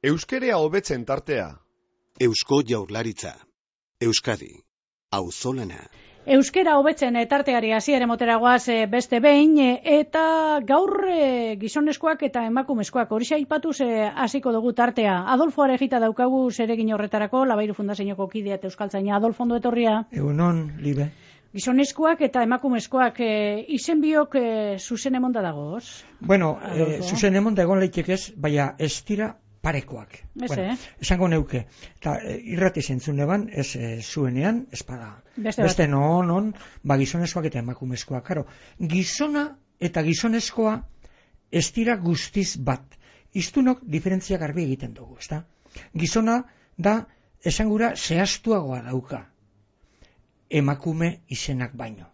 Euskerea hobetzen tartea. Eusko Jaurlaritza. Euskadi. Auzolana. Euskera hobetzen tarteari hasiera moteragoaz beste behin, eta gaur gizonezkoak eta emakumezkoak horixe aipatuz hasiko dugu tartea. Adolfo Arejita daukagu zeregin horretarako, Labairu Fundazioko kidea eta euskaltzaina. Adolfo, ondo etorria. Egunon, Libe. Gizonezkoak eta emakumezkoak izen biok zuzen emonda dagoz? Bueno, zuzen emonda egon leitek ez, baina ez dira parekoak. Bueno, esango neuke. Eta irrati zentzun eban, ez zuenean, ez bada. Beste non, gizonezkoak eta emakumezkoak. Karo, gizona eta gizonezkoa ez dira guztiz bat. Iztunok diferentzia garbi egiten dugu, ezta? Gizona da, esangura, zehaztuagoa dauka. Emakume izenak baino.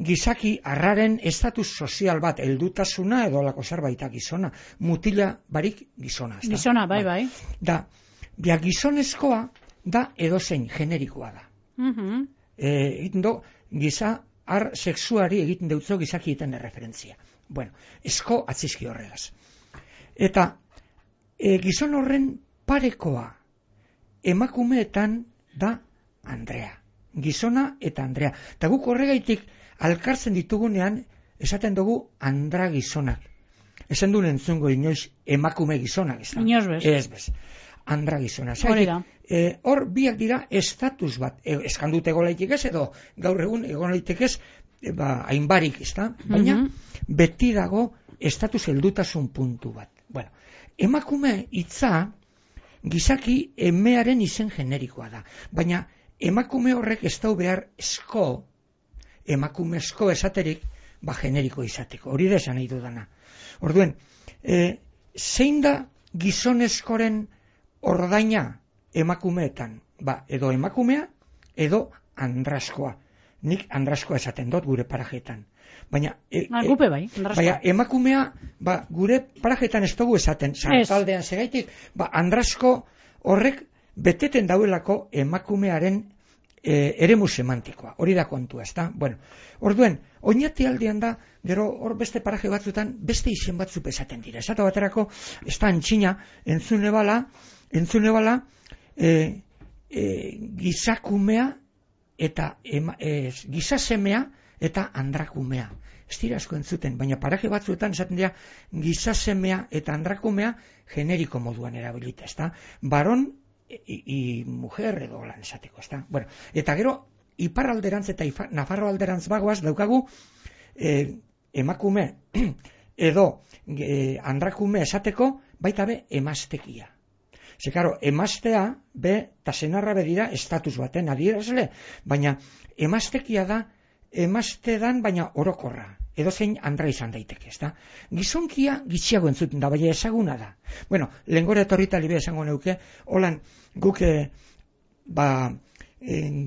Gizaki arraren estatus sozial bat, heldutasuna edo lako zerbait gizona, mutila barik gizona. Gizona, bai. Da, gizonezkoa da edozein generikoa da. Egiten du, giza ar sexuari egiten deutzo gizaki egiten referentzia. Bueno, esko atzizki horregaz. Eta gizon horren parekoa emakumeetan da Andrea. Gizona eta Andrea. Eta guk horregaitik alkartzen ditugunean esaten dugu andra gizonak. Esan duen entzungo inoiz emakume gizonak. Inoiz bez. Ez bez. Andra gizonak. Hor biak dira estatus bat. Eskan dut egolaitik ez edo gaur egun egolaitik ez hainbarik, ezta? Baina beti dago estatus heldutasun puntu bat. Bueno, emakume hitza gizaki emearen izen generikoa da. Baina emakume horrek ez dau behar emakumezko esaterik, generiko izateko. Hori da esan nahi dudana. Orduen, zein da gizonezkoren ordaina emakumeetan? Edo emakumea, edo andraskoa. Nik andraskoa esaten dut gure parajetan. Baina emakumea, gure parajetan ez dugu esaten, sartaldean segaitik, andrasko horrek beteten dauelako emakumearen eremu semantikoa. Hori da kontua, ezta? Bueno, orduen, oinati aldean da, gero hor beste paraje batzutan, beste izen batzuk esaten dira. Esatu baterako, ez da antxina, entzune bala, gizakumea eta gizasemea eta andrakumea. Ez dira asko entzuten, baina paraje batzuetan esaten dira gizasemea eta andrakumea generiko moduan erabilita, ezta? Baron y mujer edo lan esateko, ezta? Bueno, eta gero iparralderantz eta Nafarro alderantz bagoaz daukagu emakume edo andrakume esateko baita be emaztekia. Ze karo, emaztea eta senarra dira estatus baten adierazle, baina emaztekia da emaztedan baina orokorra. Edozein andra izan daiteke, ezta? Gizonkia gitxiago entzuten da, baina ezaguna da. Bueno, lehengora etorrita libe esango neuke, holan guk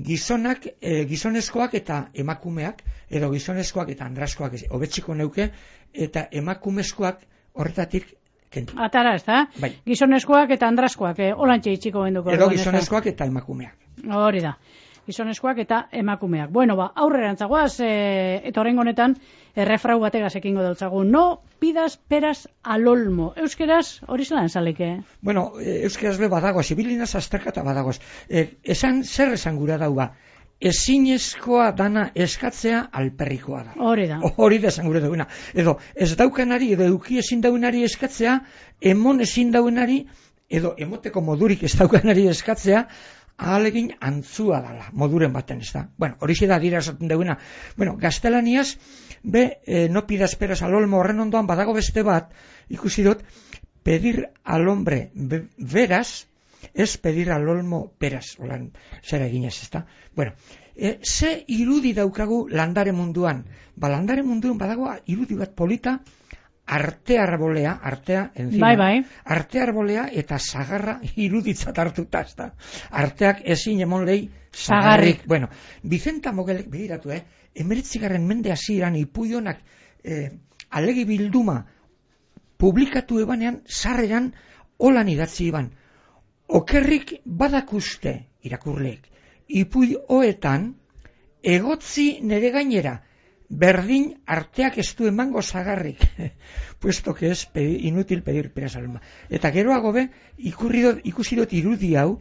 gizonak, gizonezkoak eta emakumeak, edo gizonezkoak eta andraskoak hobetziko neuke, eta emakumezkoak horretatik kentu. Atara, ezta? Bai. Gizonezkoak eta andraskoak, holantxe itxiko benduko. Edo gizonezkoak eta emakumeak. Hori da. Gizonezkoak eta emakumeak. Bueno, aurrerantzagoaz, eta horrengo honetan, errefrau bategaz ekingo dautzagu. No pidas peras al olmo. Euskeraz, hori zelan zaleke? Bueno, euskeraz be badagoaz, ibilinaz azterkata badagoaz. Zer esan gura dauba? Ezinezkoa dana eskatzea alperrikoa da. Hori da. Hori da esan gura dauna. Edo ez daukanari, edo euki ezin daunari eskatzea, emon ezin daunari, edo emoteko modurik ez daukanari eskatzea, ahalegin antzua dala, moduren baten, ez da. Bueno, hori da dira esaten duguna. Bueno, gaztelaniaz, no pidas peras al olmo horren ondoan badago beste bat, ikusi dut, pedir al hombre veras, ez pedir al olmo peras, holan, zera eginez, ez da. Bueno, ze irudi daukagu landare munduan? Landare munduan badago irudi bat polita, arte arbolea, arte arbolea eta zagarra iruditzat hartuta, ezta. Arteak ezin emon lehi zagarrik. Bueno, Vicenta Mogelek, begiratu, 19. mende hasieran Ipuionak alegi bilduma publikatu ebanean, sarreran holan idatzi iban. Okerrik badakuste irakurleek. Ipuioetan egotzi nere gainera berdin arteak ez du emango zagarrik, puesto que es inutil pedir peras al mar. Eta geroago be, ikusi dut irudi hau,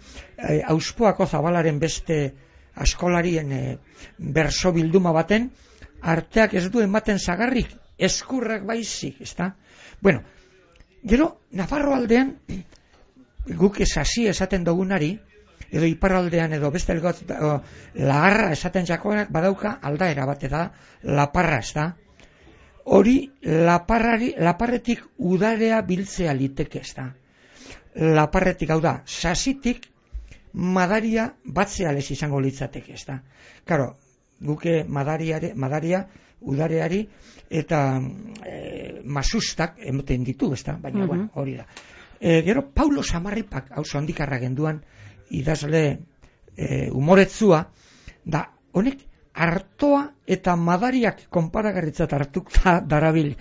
Auspoako Zabalaren beste askolarien berso bilduma baten, arteak ez du ematen zagarrik, eskurrak baizik, ezta? Bueno, gero, Nafarro aldean, guk esasi esaten dugunari, edo iparraldean edo beste lagarra esaten jakoak badauka aldaera bat da laparra, ez da? Hori laparretik udarea biltzea liteke, ez da? Laparretik, hau da, sasitik madaria batzea lez izango litzateke, ez da? Karo, guke madaria udareari eta masustak emoten ditu, ez da? Baina, bueno, hori da. Gero, Paulo Samarripak, hau zondikarra genduan, idazle umoretzua, da honek artoa eta madariak konparagarritzat hartuta darabil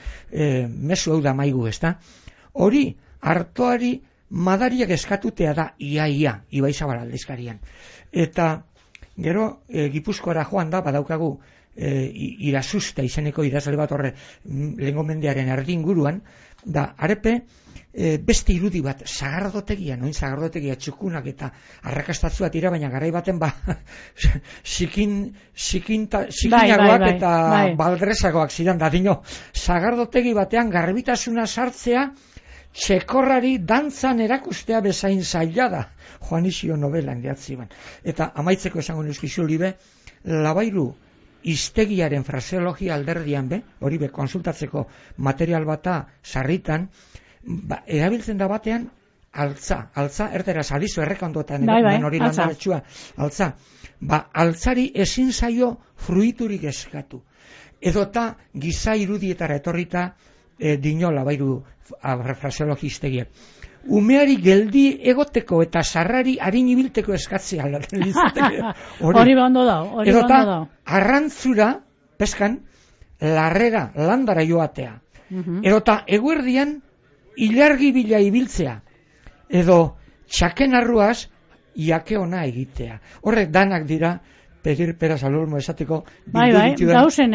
mezu hau da maigu, ezta? Hori, artoari madariak eskatutea da ia, Ibaizabal aldizkarian. Eta gero Gipuzkoara joan da, badaukagu Irasusta izeneko idazle bat horre lehengo mendearen erdinguruan, da arepe beste irudi bat, sagardotegia, noin sagardotegia txukunak eta arrakastatzu bat baina garai baten zikinagoak eta baldrezagoak zidan, da dino, sagardotegi batean garbitasuna sartzea txekorrari dantzan erakustea bezain zaila da, Juanizio novelan gehatzi ban. Eta amaitzeko esango nuzkizu libe, Labairu hiztegiaren fraseologia alderdian hori konsultatzeko material bata sarritan, erabiltzen da batean altza erderaz alizu errekondotan hori landaretxua, altza. Altzari ezin zaio fruiturik eskatu. Edota giza irudietara etorrita dino Labairu fraseologi hiztegiak. Umeari geldi egoteko eta sarrari harin ibilteko eskatzea. Hori ondo da. Edota arrantzura, peskan, larrera, landara joatea. Edota eguerdian ilargi bila ibiltzea. Edo txaken arruaz jake ona egitea. Horrek danak dira, pedir peras al olmo esateko. Dauzen,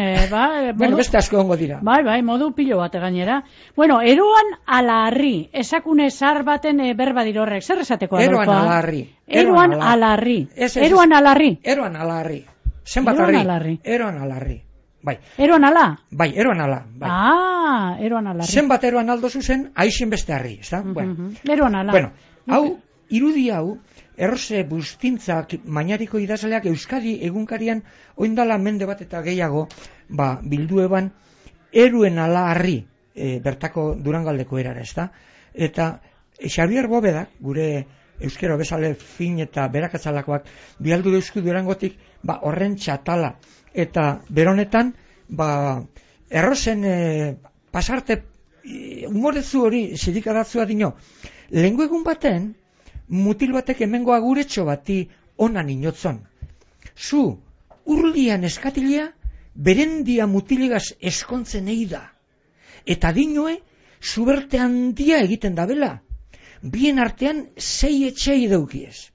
bueno, beste asko ongo dira. Modu pilo bate gainera. Bueno, eroan ala harri, esakune zar baten berba dirorrek, zer esateko adolkoa? Eroan ala harri. Eroan ala harri. Eroan ala harri. Zenbat harri? Eroan ala harri. Bai. Eroan ala? Bai, eroan ala. Eroan ala harri. Zenbat eroan aldo zuzen, aixen beste harri, ez da? Eroan ala. Bueno, hau, irudi hau, Errose Bustintzak mainariko idazleak Euskadi egunkarian oindala mende bat eta gehiago bildu eban eruen ala harri bertako Durangaldeko erara, ezta? Eta Xabier Bobedak, gure euskero bezale fin eta berakatzalakoak bialdu eusku Durangotik horren txatala eta beronetan errosen pasarte umorezu hori zirikadatzua dino lehengo egun baten mutil batek hemengo aguretxo bati onan inotzon. Zu, urlian eskatilea, berendia mutilegaz eskontzen eida. Eta dinoe, zuberte handia egiten dabela. Bien artean 6 etxei daukiez.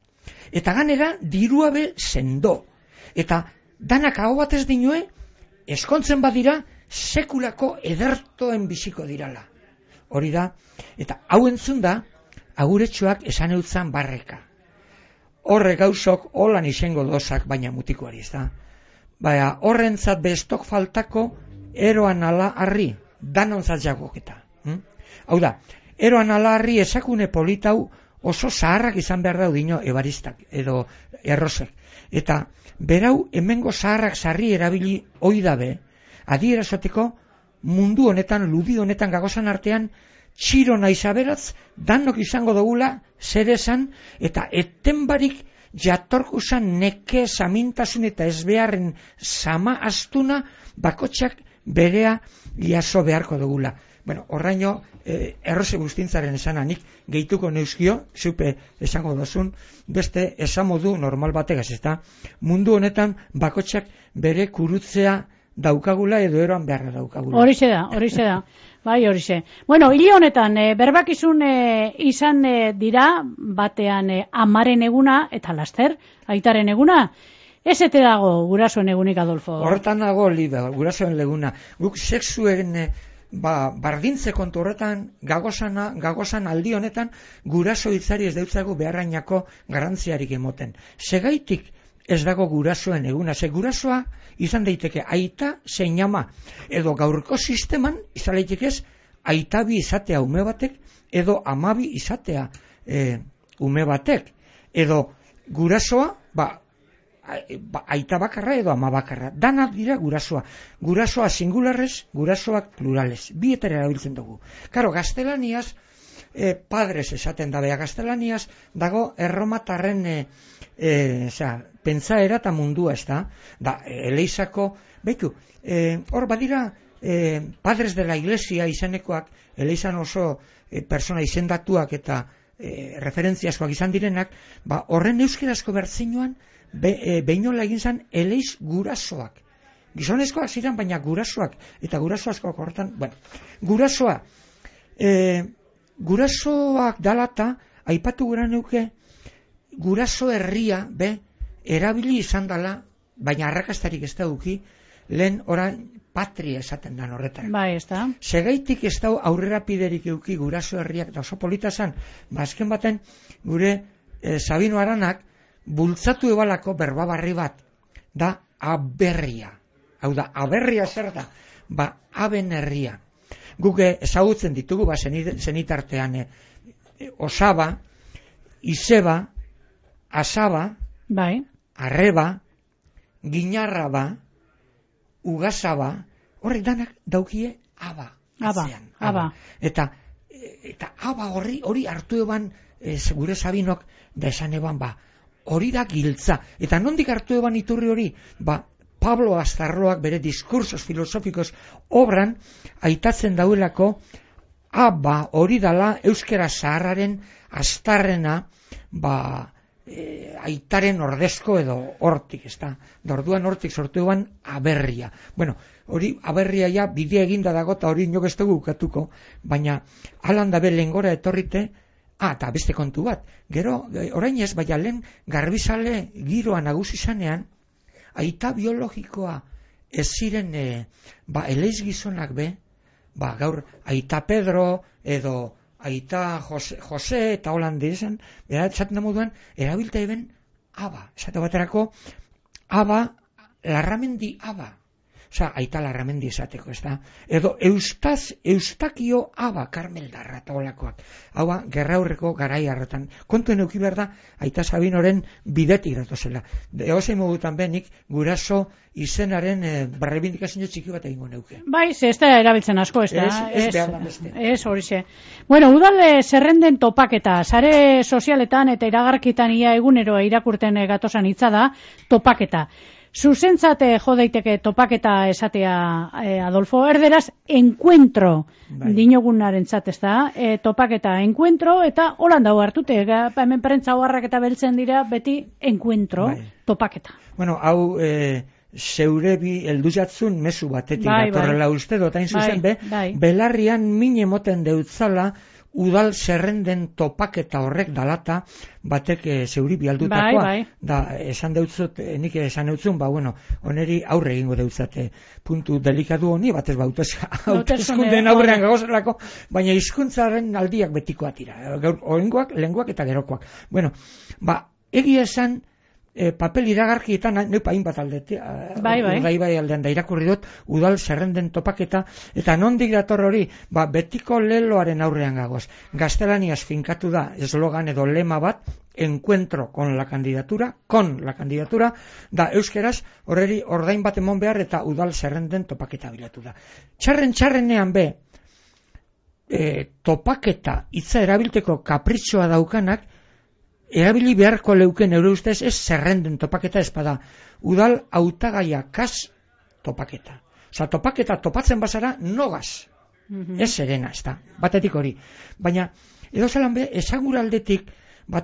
Eta ganera, diruabe sendo. Eta danak hau batez dinoe, eskontzen badira, sekulako edertoen biziko dirala. Hori da, eta hau entzun da, aguretxoak esan eutzan barreka. Horre gauzok holan izango dozak baina mutikoari, ez da? Horrentzat bestok faltako eroan ala harri, danontzat jagoketa. Hau da, eroan ala harri esakune politau oso zaharrak izan behar daudino ebaristak edo errosek. Eta berau hemengo zaharrak sarri erabili oidabe, adierazoteko mundu honetan, ludi honetan gagozan artean, txiro naizaberatz, danok izango dugula, zer esan, eta etenbarik jatorkuzan neke samintasun eta ezbeharren sama astuna, bakotxak berea jaso beharko dugula. Bueno, horraino, Errose Bustintzaren esananik gehituko neuzkio, zupe esango dozun, beste esamodu normal bategaz, eta mundu honetan bakotxak bere kurutzea daukagula edo eroan beharra daukagula. Horixe da. Bai, horixe. Bueno, hile honetan, berbakizun izan dira, batean amaren eguna, eta laster, aitaren eguna. Ezete dago gurasoen egunik, Adolfo. Horretan dago libe, gurasoen leguna. Guk sexuen bardintze kontu horretan, gagozan aldi honetan, guraso hitzari ez deutzago beharrainako garrantziarik emoten. Segaitik ez dago gurasoen eguna, ze gurasoa izan daiteke aita zein ama, edo gaurko sisteman izan daiteke ez aitabi izatea ume batek, edo amabi izatea ume batek, edo gurasoa, aita bakarra edo ama bakarra. Danak dira gurasoa. Gurasoa singularrez, gurasoak plurales. Bietara erabiltzen dugu. Karo, gaztelaniaz, padres esaten da, bea gaztelaniaz dago erromatarren pentsaera eta mundua, ez da? Da, Eleizako, behitu, hor badira padres de la iglesia izanekoak, Eleizan oso persona izendatuak eta referentziazkoak izan direnak, horren euskerazko bertzinoan behinola egin zen Eleiz gurasoak. Gizonezkoak ziren, baina gurasoak, eta gurasoazkoak horretan, gurasoak dalata, aipatu gura neuke, guraso herria, erabili izan dala, baina arrakastarik ez da duki, lehen orain patria esaten dan horretan. Bai, ez da. Segaitik ez da aurrerapiderik euki guraso herriak, da oso polita zan, azken baten, gure Sabino Aranak, bultzatu ebalako berbabarri bat, da aberria. Hau da, aberria zer da? Aben herria. Guk ezagutzen ditugu, zenitartean, osaba, izeba, asaba, arreba, ginarraba, ugasaba, horrek danak daukie aba. Aba. Eta aba hori hartu eban gure Sabinok da esan eban hori da giltza. Eta nondik hartu eban iturri hori? Pablo Astarloak bere diskursos filosofikos obran aitatzen dauelako hori dala euskera zaharraren astarrena aitaren ordezko edo hortik, ez da. Orduan hortik sortu eban aberria. Bueno, hori aberria ja bidea eginda dago eta hori inok ez dugu ukatuko, baina alan dabe lehengora etorrite, eta beste kontu bat, gero, orain ez, baina lehen garbizale giroa nagusi zanean, aita biologikoa ez ziren Eleiz gizonak gaur aita Pedro edo aita Jose eta Holande esan, esaten da moduan, erabilta eben aba, esate baterako aba, Larramendi aba. Osa, aita Larramendi esateko, ez da? Edo Eustakio aba, Karmeldarra eta olakoak. Hau gerraurreko garai harretan. Kontuen euki behar da, aita Sabinoren bidetik datozela. Egozein modutan benik, guraso izenaren barrebindikazio txiki bat egingo neuke. Bai, ez da erabiltzen asko, ez da? Ez behar da beste. Ez horixe. Bueno, udal zerrenden topaketa, sare sozialetan eta iragarkitan ia egunero irakurten gatozan hitza da, topaketa. Zuzentzat jo daiteke topaketa esatea, Adolfo, erderaz encuentro dinogunaren ez da, topaketa encuentro, eta holan dago hartute, hemen prentza oharrak eta beltzen dira, beti encuentro, topaketa. Bueno, hau zeure bi heldu jatzun mezu batetik datorrela uste dotain zuzen belarrian min emoten deutzala udal zerrenden topaketa horrek dalata batek zeuri bialdutakoa. Da, esan deutzut, nik esan deutzun, oneri aurre egingo deutzate puntu delikadu honi, batez hautezkunden aurrean gagozelako, baina hizkuntzaren aldiak betikoa tira. Orengoak, lenguak eta gerokoak. Egia esan, papel iragarkietan neupa hainbat aldetik, bai aldean da irakurri dut udal zerrenden topaketa, eta nondik dator hori, betiko leloaren aurrean gagoz. Gaztelaniaz finkatu da eslogan edo lema bat, encuentro con la candidatura, da euskeraz horreri ordain bat emon behar eta udal zerrenden topaketa bilatu da. Txarrenean topaketa hitza erabilteko kapritxoa daukanak, erabili beharko leuken eure ustez ez zerrenden topaketa espada. Udal hautagaia kas topaketa. Osa, topaketa topatzen bazara nogaz. Ez serena, ez da. Batetik hori. Baina, edo zelan esagura aldetik,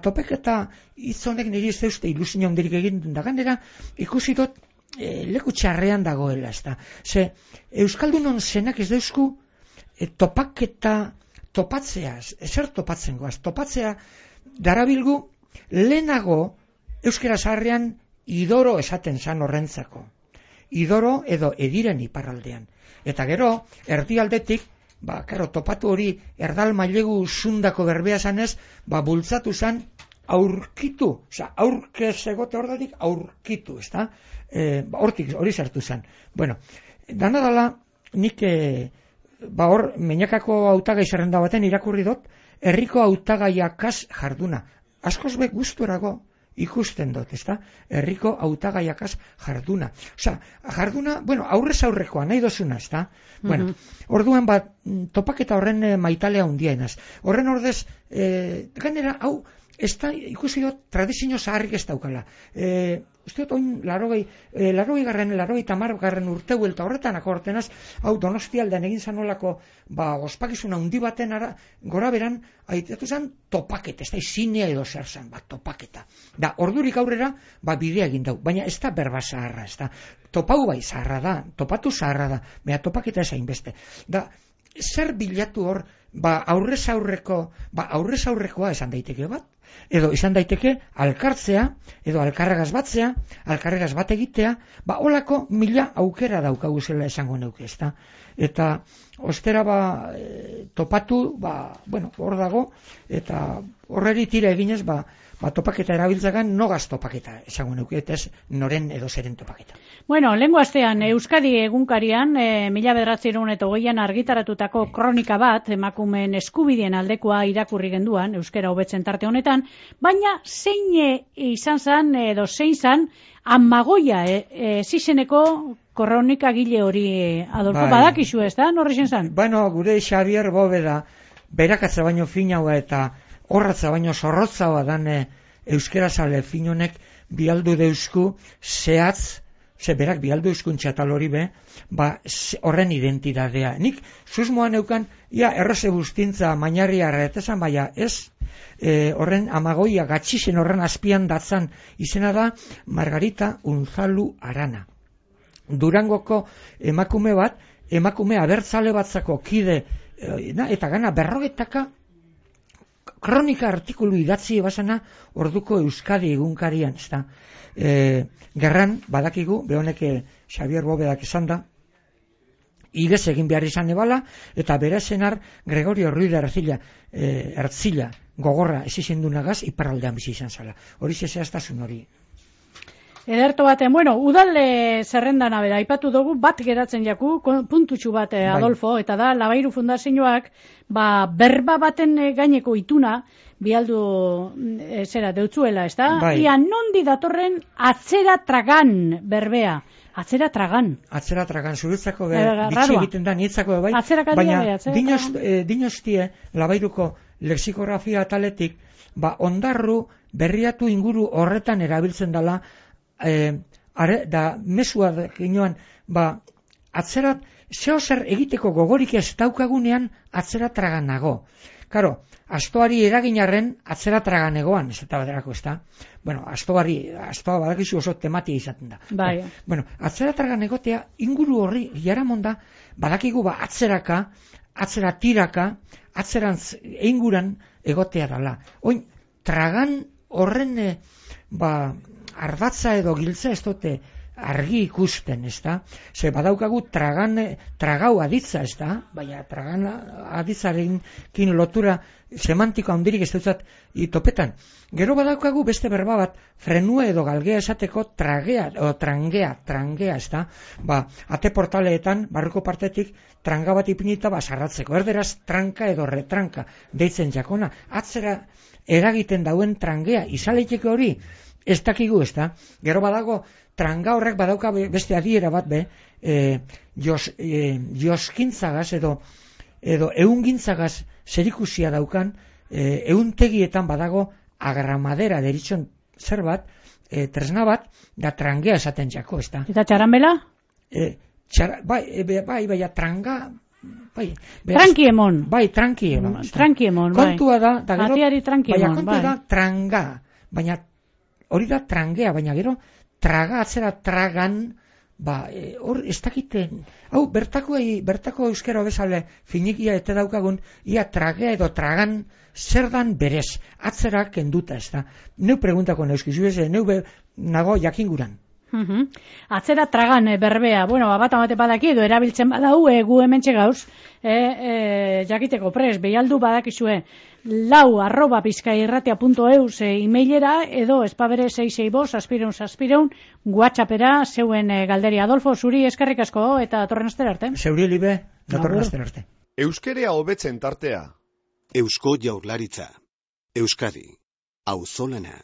topaketa hitzonek niri ez deuste ilusio handirik egin da ganera, ikusi dut leku txarrean dagoela, ez da. Ze, Euskaldunon zenak ez deusku topaketa topatzea, ezer topatzen goaz. Topatzea darabilgu lehenago euskera zaharrean idoro esaten zan horrentzako. Idoro edo ediren iparraldean. Eta gero, erdialdetik, topatu hori erdal mailegu zundako berbea zanez, bultzatu zan aurkitu, aurkez egote horretik aurkitu, ezta? Hortik, hori sartu zan. Bueno, dana dala, nik, hor, Meñakako hautagai zerrenda baten irakurri dut, herriko hautagaiakaz jarduna. Askoz be guztuerago ikusten dut, ezta? Herriko hautagaiakaz jarduna. Jarduna, aurrez aurrekoa, nahi dozuna, ezta? Bueno, orduan topaketa horren maitalea hundienaz. Horren ordez, gainera, hau, ikusi dut, tradizio zaharrik ez daukala. Uste dut, oin, 80. urte huelta horretan akortenaz, hau Donostialdean egin zanolako, ospakizuna hundi baten gora beran, haiteatu zen topaketa, ez da, zinea edo zer zen, topaketa. Da, ordurik aurrera, bidea egin dau, baina ez da berba zaharra, ez da. Topau bai zaharra da, topatu zaharra da, baina topaketa ez hainbeste. Da, zer bilatu hor, aurrez aurrekoa esan daiteke bat, edo izan daiteke alkartzea, edo alkarregaz batzea, alkarregaz bat egitea, holako 1000 aukera daukagu zela esango neuke, ezta? Eta ostera topatu, hor dago, eta horreri tira eginez, topaketa erabiltzagan nogaz topaketa esango neuke, eta ez noren edo zeren topaketa. Bueno, lehengo astean Euskadi egunkarian 1920an argitaratutako kronika bat emakumeen eskubideen aldekoa irakurri genduan euskara hobetzen tarte honetan, baina zein izan zan edo zein zan Amagoia zizeneko kronikagile hori, Adolfo, badakizu ez da, norri zen zan? Gure Xabier Bóveda berakatza baino finaua eta horratza baino zorrotzaua dan euskerazale finonek bialdu deusku zehatz, berak bialdu euskuntza tal hori horren identidadea. Nik susmoan eukan, erroze bustintza mainarria erretezan, baina ez, horren Amagoia gatxisen horren azpian datzan izena da Margarita Unzalu Arana. Durangoko emakume abertzale batzako kide, eta gana 40 kronika artikulu idatzi ebasana orduko Euskadi egunkarian, ezta. Gerran, badakigu, behonek Xabier Bobedak esan da, igez egin behar izan ebala, eta bere zenar Gregorio Ruiz de Ertzila gogorra ezizendunagaz iparraldean bizi izan zala. Hori zehaztasun hori. Ederto baten, udal zerrendan abera, aipatu dugu bat geratzen jaku, puntutxu bat, Adolfo, eta da, Labairu Fundazioak, berba baten gaineko ituna, bialdu, deutzuela, ez da? Ia nondi datorren atzera tragan berbea. Atzera tragan, zuretzako bitxi egiten da, nietzako bai, baina dinostie Labairuko lexikografia ataletik, ondarru berriatu inguru horretan erabiltzen dela, da mesua ginoan, atzerat, zehozer egiteko gogorik ez daukagunean atzera tragan nago. Karo, astoari eraginarren atzera tragan egoan, ez eta baderako, ez da? Astoa badakizu oso tematia izaten da. Atzera tragan egotea, inguru horri, jaramon da, badakigu atzeraka, atzera tiraka, atzerantz einguran egotea dala. Oin, tragan horren, ardatza edo giltza ez dute argi ikusten, ez da? Ze badaukagu tragau aditza, ez da? Baina tragan aditzarekin lotura semantiko handirik ez dutzat topetan. Gero badaukagu beste berba bat, frenue edo galgea esateko tragea, o trangea, ez da? Ate portaleetan, barruko partetik, tranga bat ipinita sarratzeko. Erderaz, tranka edo retranka deitzen jakona. Atzera eragiten dauen trangea, izaleiteke hori, ez dakigu, ez da? Gero badago, tranga horrek badauka beste adiera bat, joskintzagaz edo eungintzagaz zerikusia daukan, euntegietan badago agramadera deritxon zer bat, tresna bat, da trangea esaten jako, ez da? Eta txaranbela? Bai, tranga... Trankiemon. Trankiemon. Kontua da, atiari trankiemon. Kontua da tranga, baina hori da trangea, baina gero traga atzera tragan hor ez dakiten, hau bertako euskera bezala finikia eta daukagun, ia tragea edo tragan zer dan berez, atzera kenduta ez da. Neu preguntako neuskizu ez, neu nago jakinguran. Atzera tragan berbea, bat amate badaki edo erabiltzen badau, gu hementxe gauz, jakiteko pres, behialdu badakizue, lau@bizkairratia.eus emailera edo espabere 665 WhatsAppera zeuen galderi. Adolfo, zuri eskerrik asko eta datorren astera arte. Zeuri libe, datorren astera arte. Euskerea hobetzen tartea. Eusko Jaurlaritza. Euskadi. Auzolana.